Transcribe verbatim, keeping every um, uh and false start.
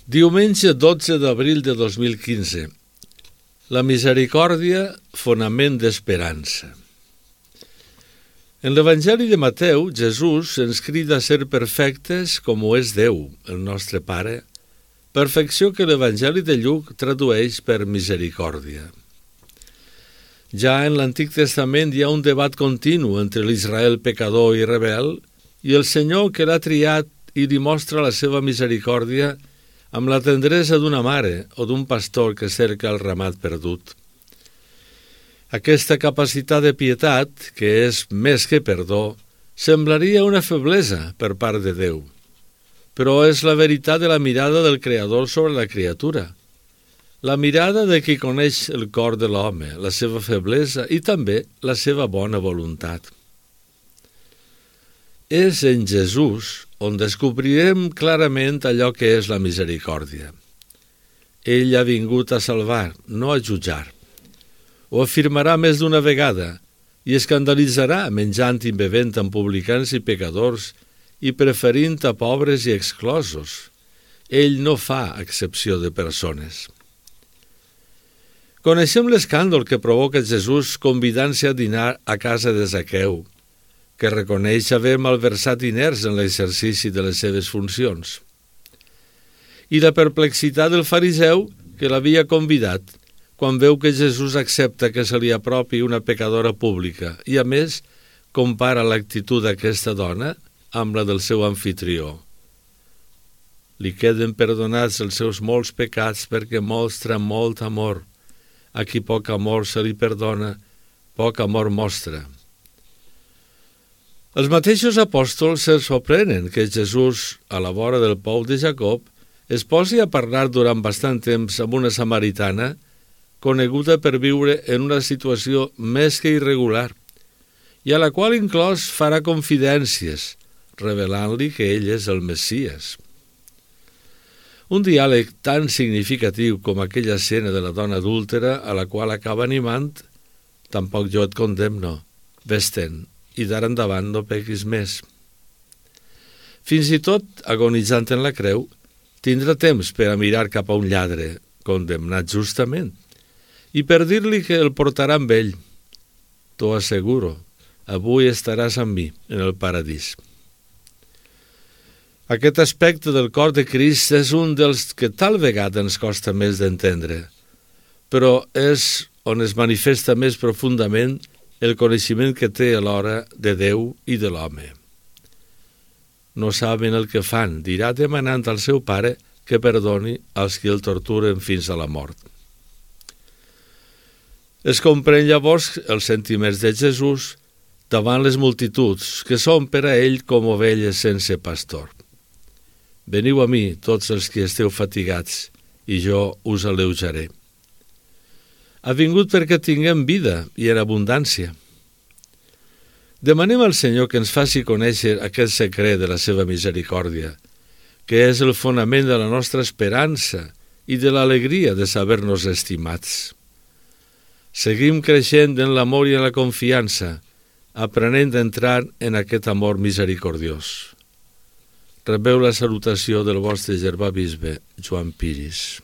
Diumenge dotze d'abril de dos mil quinze. La misericòrdia, fonament d'esperança. En l'Evangeli de Mateu, Jesús ens crida a ser perfectes com ho és Déu, el nostre Pare, perfecció que l'Evangeli de Lluc tradueix per misericòrdia. Ja en l'Antic Testament hi ha un debat continu entre l'Israel pecador i rebel i el Senyor que l'ha triat i li mostra la seva misericòrdia amb la tendresa d'una mare o d'un pastor que cerca el ramat perdut. Aquesta capacitat de pietat, que és més que perdó, semblaria una feblesa per part de Déu, però és la veritat de la mirada del Creador sobre la criatura, la mirada de qui coneix el cor de l'home, la seva feblesa i també la seva bona voluntat. És en Jesús on descobrirem clarament allò que és la misericòrdia. Ell ha vingut a salvar, no a jutjar. Ho afirmarà més d'una vegada i escandalitzarà menjant i bevent amb publicans i pecadors i preferint a pobres i exclosos. Ell no fa excepció de persones. Coneixem l'escàndol que provoca Jesús convidant-se a dinar a casa de Zaqueu, que reconeix haver malversat diners en l'exercici de les seves funcions. I la perplexitat del fariseu que l'havia convidat quan veu que Jesús accepta que se li apropi una pecadora pública i, a més, compara l'actitud d'aquesta dona amb la del seu amfitrió. Li queden perdonats els seus molts pecats perquè mostra molt amor. A qui poc amor se li perdona, poc amor mostra. Els mateixos apòstols se sorprenen que Jesús, a la vora del pou de Jacob, es posi a parlar durant bastant temps amb una samaritana, coneguda per viure en una situació més que irregular, i a la qual inclòs farà confidències, revelant-li que ell és el Messies. Un diàleg tan significatiu com aquella escena de la dona adúltera a la qual acaba animant, tampoc jo et condemno, vés-te'n, i d'ara endavant no pequis més. Fins i tot, agonitzant en la creu, tindrà temps per a mirar cap a un lladre, condemnat justament, i per dir-li que el portarà amb ell. T'ho asseguro, avui estaràs amb mi en el paradís. Aquest aspecte del cor de Crist és un dels que tal vegada ens costa més d'entendre, però és on es manifesta més profundament el coneixement que té alhora de Déu i de l'home. No saben el que fan, dirà demanant al seu pare que perdoni als qui el torturen fins a la mort. Es comprèn llavors els sentiments de Jesús davant les multituds, que són per a ell com ovelles sense pastor. Veniu a mi, tots els que esteu fatigats, i jo us alleujaré. Ha vingut perquè tinguem vida i en abundància. Demanem al Senyor que ens faci conèixer aquest secret de la seva misericòrdia, que és el fonament de la nostra esperança i de l'alegria de saber-nos estimats. Seguim creixent en l'amor i en la confiança, aprenent a entrar en aquest amor misericordiós. Rebeu la salutació del vostre germà bisbe, Joan Piris.